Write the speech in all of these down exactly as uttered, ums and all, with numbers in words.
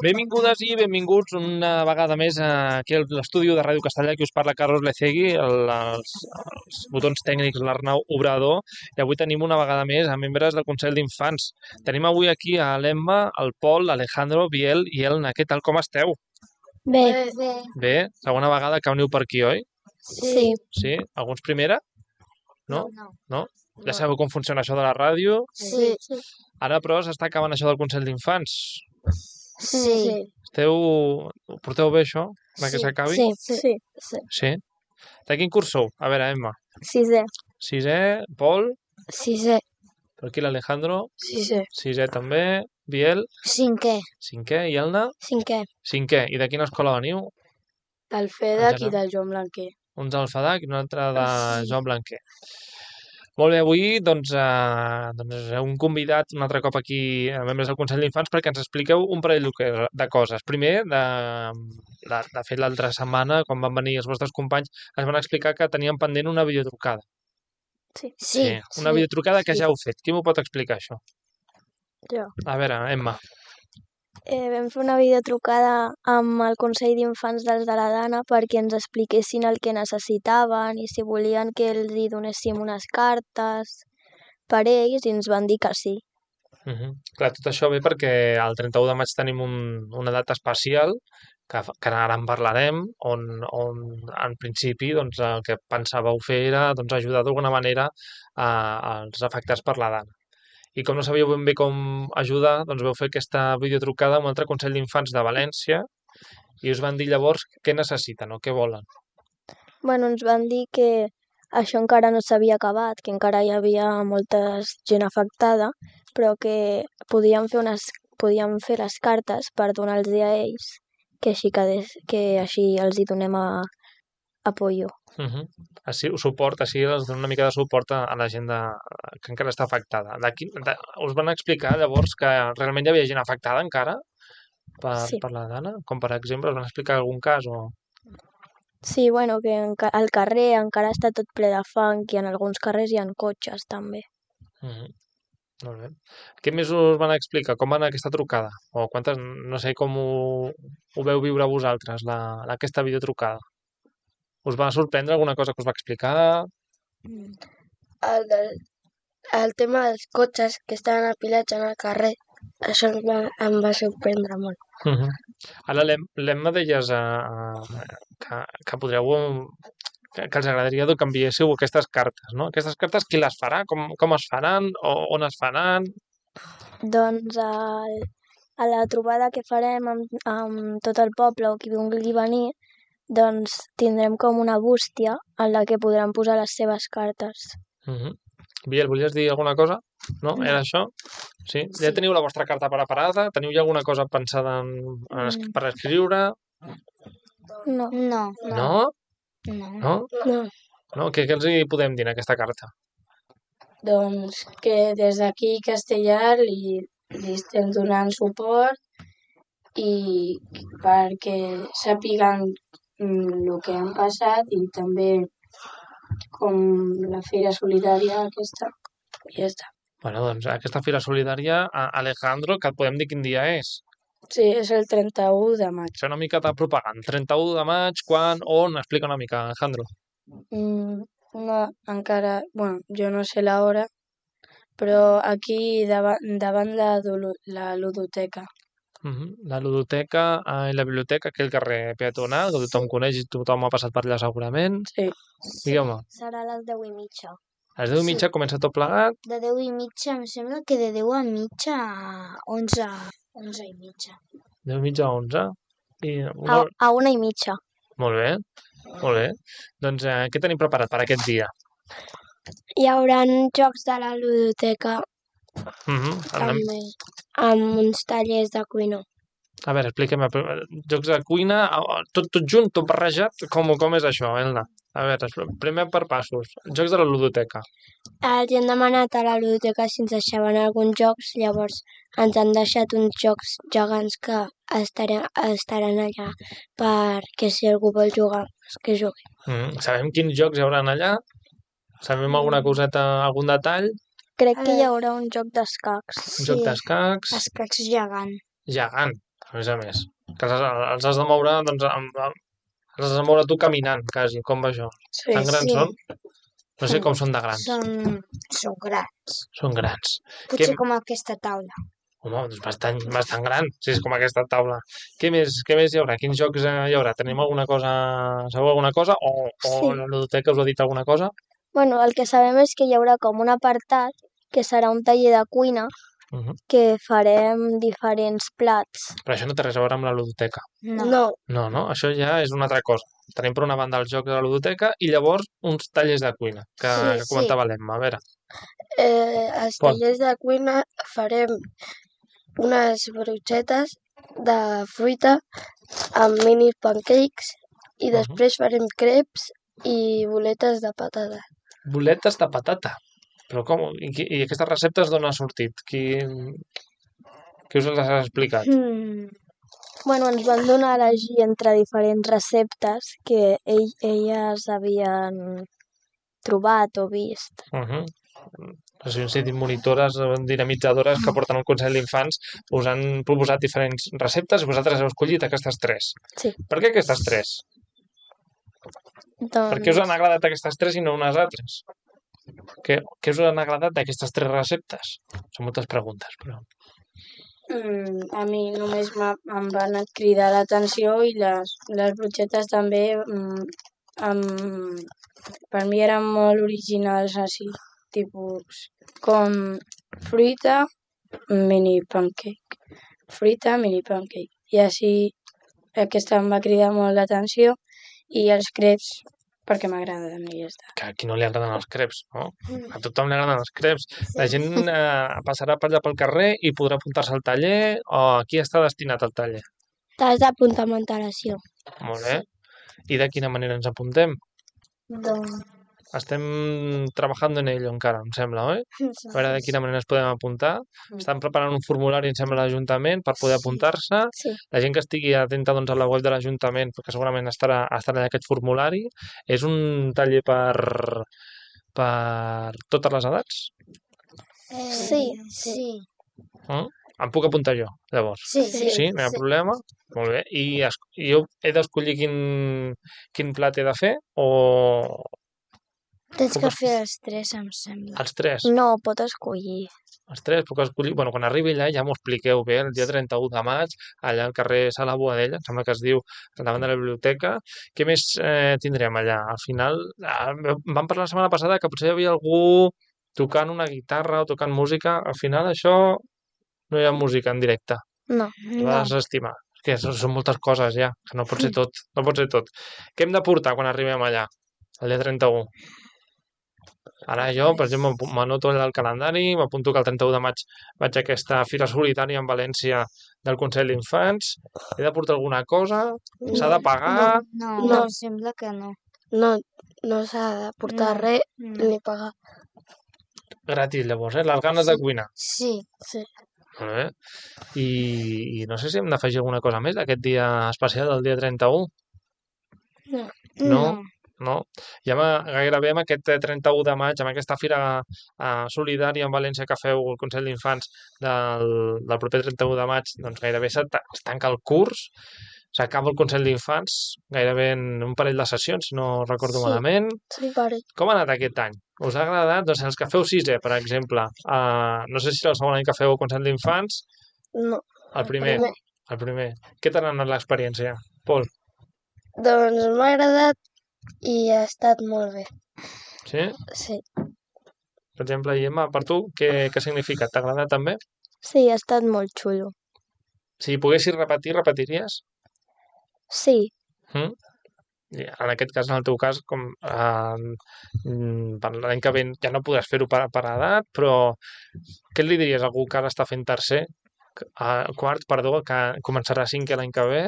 Benvingudes i benvinguts una vegada més aquí a l'estudi de Ràdio Castellà. Aquí us parla Carlos Lecegui, el, els, els botons tècnics l'Arnau Obrador, i avui tenim una vegada més a membres del Consell d'Infants. Tenim avui aquí a l'Emma, el Pol, l'Alejandro, Biel i Elna. Què tal, com esteu? Bé. Bé. Bé? Segona vegada que veniu per aquí, oi? Sí. Sí? Alguns primera? No? No. No? Ja sabeu com funciona això de la ràdio? Sí. Ara, però, s'està acabant això del Consell d'Infants. Sí. Esteu... Ho porteu bé, això? Que s'acabi? Sí. Sí. Sí. Sí? De quin curs sou? A veure, Emma. Sisè. Sisè, Pol, Sisè. per aquí l'Alejandro, Sisè. sisè també, Biel, Cinquè. cinquè, i Elna, Cinquè. cinquè. I de quina escola veniu? Del FEDAC Encara. i del Joan Blanquer. Un del FEDAC i un altre de Joan Blanquer. Molt bé, avui doncs, eh, doncs heu convidat un altre cop aquí a membres del Consell d'Infants perquè ens expliqueu un parell de- de coses. Primer, de, de, de fet l'altra setmana, quan van venir els vostres companys, es van explicar que tenien pendent una videotrucada. Sí. Sí. Una videotrucada que sí. ja heu fet. Qui m'ho pot explicar, això? Jo. A veure, Emma. Eh, vam fer una videotrucada amb el Consell d'Infants dels de la Dana perquè ens expliquessin el que necessitaven i si volien que els hi donéssim unes cartes per ells, i ens van dir que sí. Uh -huh. Clar, tot això ve perquè el trenta-u de maig tenim un, una data especial que, fa- que ara en parlarem, on, on en principi doncs, el que pensàveu fer era doncs, ajudar d'alguna manera a, als afectats per la dana. I com no sabíeu ben bé com ajudar, doncs vau fer aquesta videotrucada amb un altre Consell d'Infants de València i us van dir llavors què necessiten o què volen. Bueno, ens van dir que això encara no s'havia acabat, que encara hi havia molta gent afectada, però que podien fer, unes, podien fer les cartes per donar-los a ells, que així, que, que així els hi donem a, apoyo. Uh -huh. Així, suport, així els donen una mica de suport a, a la gent de, que encara està afectada. D'aquí, de, us van explicar llavors que realment hi havia gent afectada encara per, Sí. per la dana? Com per exemple, us van explicar algun cas? O... Sí, bueno, que enca- al carrer encara està tot ple de fang i en alguns carrers hi ha cotxes també. Uh -huh. Molt bé. Què més us van explicar? Com va anar aquesta trucada? O quantes, no sé com ho, ho veu viure vosaltres, la, aquesta videotrucada? Us va sorprendre alguna cosa que us va explicar? El, del, el tema dels cotxes que estaven apilats en el carrer, això em va, em va sorprendre molt. Uh -huh. Ara l'Emma deies uh, que, que podríeu que, que els agradaria que enviéssiu aquestes cartes, no? Aquestes cartes qui les farà? Com, com es faran? O on es faran? Doncs el, a la trobada que farem amb, amb tot el poble o qui vulgui venir, doncs tindrem com una bústia en la que podran posar les seves cartes. Uh -huh. Biel, volies dir alguna cosa? No? Era això? Sí? Ja Sí. teniu la vostra carta preparada? Teniu ja alguna cosa pensada en, en, es- per escriure? No. No. No? No. No? No. No? Què, què els hi podem dir en aquesta carta? Doncs que des d'aquí Castellar li, li estem donant suport i perquè sàpiguen mm, el que han passat i també com la Fira Solidària aquesta i ja està. Bueno, doncs aquesta Fira Solidària, a- Alejandro, que et podem dir quin dia és? Sí, és el trenta-u de maig. Fer una mica de propaganda. trenta-u de maig, quan, on? Explica una mica, Alejandro. Mm, no, encara, bueno, jo no sé l'hora, però aquí davant, davant la, dulu- la ludoteca. Uh -huh. La ludoteca eh, i la biblioteca, aquell carrer peatonal, que tothom coneix i tothom ha passat per allà segurament. Sí. Digueu-me, Serà a les deu i mitja. a les deu i mitja comença tot plegat. De deu i mitja, em sembla que de deu a mitja a onze, onze i mitja. deu i mitja a onze. I, A, molt, a una i mitja. molt bé, molt bé. Doncs eh, què tenim preparat per aquest dia? Hi haurà jocs de la ludoteca Uh -huh. Anem, amb uns tallers de cuina. a veure, expliquem. Jocs de cuina, eh, tot, tot junt, tot barrejat? Com, com és això, Elna? A veure, expl- primer per passos. Jocs de la ludoteca. Els hem demanat a la ludoteca si ens deixaven alguns jocs, llavors ens han deixat uns jocs gegants que estaran, estaran allà perquè si algú vol jugar, doncs que jugui. Mm, sabem quins jocs hi haurà allà? Sabem alguna coseta, algun detall? Crec que hi haurà un joc d'escacs. Un joc d'escacs Escacs gegant. gegant. a més a més. Que els, els has de moure, doncs, amb, amb, els has de moure tu caminant, quasi. Com va això? Sí. Tan grans sí. són? No sé com són de grans. Són, són grans. Són grans. Potser Què- com aquesta taula. Home, doncs bastant, bastant gran, si és com aquesta taula. Què més, què més hi haurà? Quins jocs eh, hi haurà? Tenim alguna cosa, sabeu alguna cosa? O, o Sí. la ludoteca us ha dit alguna cosa? Bueno, el que sabem és que hi haurà com un apartat que serà un taller de cuina Uh -huh. que farem diferents plats. Però això no té res a veure amb la ludoteca. No. no. No, no, això ja és una altra cosa. Tenim per una banda els jocs de la ludoteca i llavors uns tallers de cuina, que, Sí, que comentava l'Emma. A veure, Eh, als Pol. tallers de cuina farem unes brochetes de fruita amb mini pancakes i Mhm. després farem creps i boletes de patata. boletes de patata. Però com? I, qui- i aquestes receptes d'on ha sortit? Qui, qui us les ha explicat? Mm. Bueno, ens van donar a elegir entre diferents receptes que ell, elles havien trobat o vist. Uh -huh. O sigui, han sigut monitores eh, dinamitzadores que porten al Consell d'Infants, us han proposat diferents receptes i vosaltres heu escollit aquestes tres. Sí. Per què aquestes tres? Per què us han Doncs, agradat aquestes tres i no unes altres? Què, què us han agradat d'aquestes tres receptes? Són moltes preguntes, però... Mm, a mi només m'ha- em van cridar l'atenció i les, les brochetes també mm, em, per mi eren molt originals així, tipus com fruita, mini pancake, fruita, mini pancake. I així aquesta em va cridar molt l'atenció i els creps perquè m'agraden i ja està. Que a qui no li agraden els creps, no? A tothom li agraden els creps. La gent eh, passarà per allà pel carrer i podrà apuntar-se al taller o a qui està destinat el taller? T'has d'apuntar amb antelació. Molt bé. I de quina manera ens apuntem? Doncs... Estem treballant en ello encara, em sembla, oi? A veure de quina manera ens podem apuntar. Estan preparant un formulari, em sembla, a l'Ajuntament per poder apuntar-se. sí. La gent que estigui atenta doncs, a la web de l'Ajuntament, perquè segurament estarà, estarà en aquest formulari. És un taller per, per totes les edats? Sí, sí. Mm? Em puc apuntar jo, llavors? Sí, Sí. Sí, no hi ha problema? Molt bé. I, es, i jo he d'escollir quin, quin plat he de fer o Tens Com que es- fer els tres, em sembla. els tres? No, pot escollir. Els tres puc escollir... Bueno, quan arribi allà ja m'ho expliqueu bé, el dia trenta-u de maig, allà al carrer Sala Boadella, em sembla que es diu, davant de la biblioteca. Què més eh, tindrem allà? Al final, eh, vam parlar la setmana passada que potser hi havia algú tocant una guitarra o tocant música. Al final això no hi ha música en directe. No. Es va desestimar. És que són, són moltes coses ja, que no pot ser tot. No pot ser tot. Què hem de portar quan arribem allà, el dia trenta-u? Ara jo, per exemple, m'apu- m'anoto allà al calendari, m'apunto que el trenta-u de maig vaig a aquesta Fira Solidària en València del Consell d'Infants. He de portar alguna cosa? S'ha de pagar? No, No. sembla que no. No, no s'ha de portar No. res No. ni pagar. Gratis, llavors, eh? Les ganes de cuinar. Sí, sí. Molt bé. I, I no sé si hem d'afegir alguna cosa més d'aquest dia especial del dia trenta-u. No. No? No? Ja ma- gairebé amb aquest eh, trenta-u de maig, amb aquesta fira eh, solidària en València que feu el Consell d'Infants del, del proper trenta-u de maig, doncs gairebé se ta- es tanca el curs, s'acaba el Consell d'Infants gairebé en un parell de sessions, si no recordo Sí. malament. Sí, pare. Com ha anat aquest any? Us ha agradat? Doncs els que feu sisè, per exemple. Uh, no sé si el segon any que feu el Consell d'Infants, No. el primer. primer. El primer. Què t'ha anat l'experiència, Pol? Doncs m'ha agradat i ha estat molt bé. Sí? Sí. Per exemple, i Emma, per tu, què, què significa? T'ha agradat també? Sí, ha estat molt xulo. Si poguessis repetir, repetiries? Sí, Mm? I en aquest cas, en el teu cas, com eh, mm, per l'any que ve ja no podràs fer-ho per, per edat, però què li diries a algú que ara està fent tercer, a quart, perdó, que començarà cinquè l'any que ve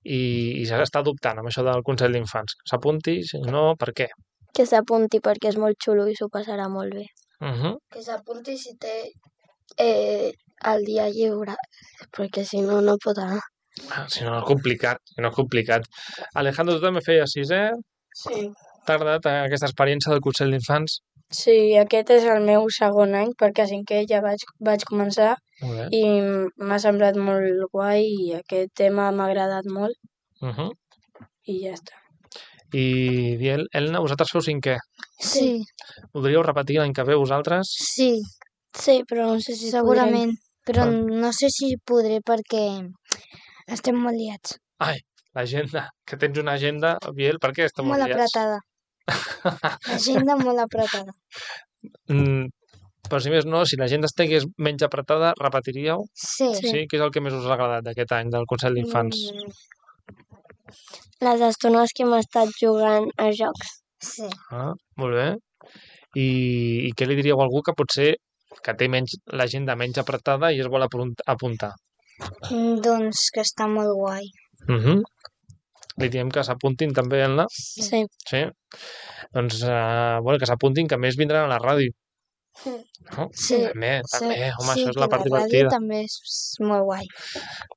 i, i s'està dubtant amb això del Consell d'Infants? S'apunti, si no, per què? que s'apunti perquè és molt xulo i s'ho passarà molt bé. Uh -huh. Que s'apunti si té eh, el dia lliure, perquè si no, no pot anar. Ah, si no, és complicat, si no és complicat. Alejandro, tu també feies sisè? Sí. T'ha agradat aquesta experiència del Consell d'Infants? Sí, aquest és el meu segon any, perquè a cinquè ja vaig, vaig començar Molt bé. i m'ha semblat molt guai i aquest tema m'ha agradat molt Uh -huh. i ja està. I Biel, Elna, vosaltres feu cinquè. Sí, Voldríeu repetir l'any que ve vosaltres? Sí, Sí, però no sé si segurament, però Ah. no sé si podré perquè estem molt liats. Ai, l'agenda, que tens una agenda, Biel, per què esteu Molt molt liats? apretada. L'agenda molt apretada. Mm, però si més no, si l'agenda estigués menys apretada, repetiríeu? Sí. Sí. Què és el que més us ha agradat d'aquest any del Consell d'Infants? Mm, les estones que hem estat jugant a jocs. sí. Ah, molt bé. I, I què li diríeu a algú que potser que té menys l'agenda menys apretada i es vol apunt- apuntar? Mm, Doncs que està molt guai. Uh -huh. Li diem que s'apuntin també, Elna? Sí. Sí? Doncs, uh, bueno, que s'apuntin, que a més vindran a la ràdio. No? Sí. També, Sí, també, home, sí, això és que la part ràdio divertida. també és molt guai.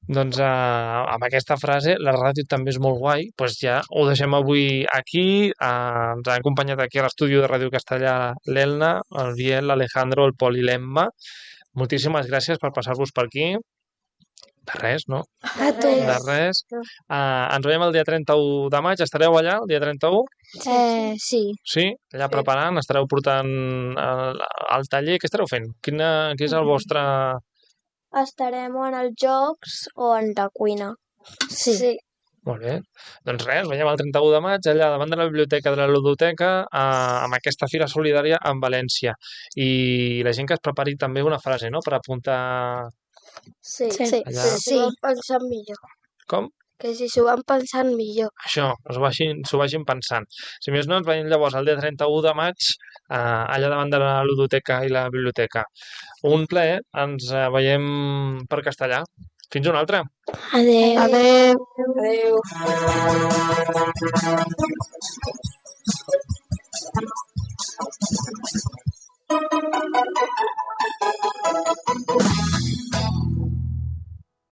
Doncs uh, amb aquesta frase, la ràdio també és molt guai, doncs ja ho deixem avui aquí. Uh, ens ha acompanyat aquí a l'estudi de Ràdio Castellà l'Elna, el Biel, l'Alejandro, el Pol i l'Emma. Moltíssimes gràcies per passar-vos per aquí. De res, no? A tu. De res. Uh, ens veiem el dia trenta-u de maig. Estareu allà el dia trenta-u? Eh, sí. Sí? Allà preparant? Estareu portant el, el taller? Què estareu fent? Quina, quin és el vostre... Estarem o en els jocs o en la cuina. Sí. Sí. Molt bé. Doncs res, ens veiem el trenta-u de maig allà davant de la biblioteca de la Ludoteca eh, amb aquesta fira solidària en València. I la gent que es prepari també una frase, no?, per apuntar... Sí, Sí. sí. Allà. Que s'ho van pensant millor. Com? Que si s'ho van pensant millor. Això, s'ho vagin, s'ho vagin pensant. Si més no, ens veiem llavors el dia trenta-u de maig eh, allà davant de la Ludoteca i la biblioteca. Un plaer, ens eh, veiem per Castellà. Fins una altra. Adéu. Adéu. Adéu.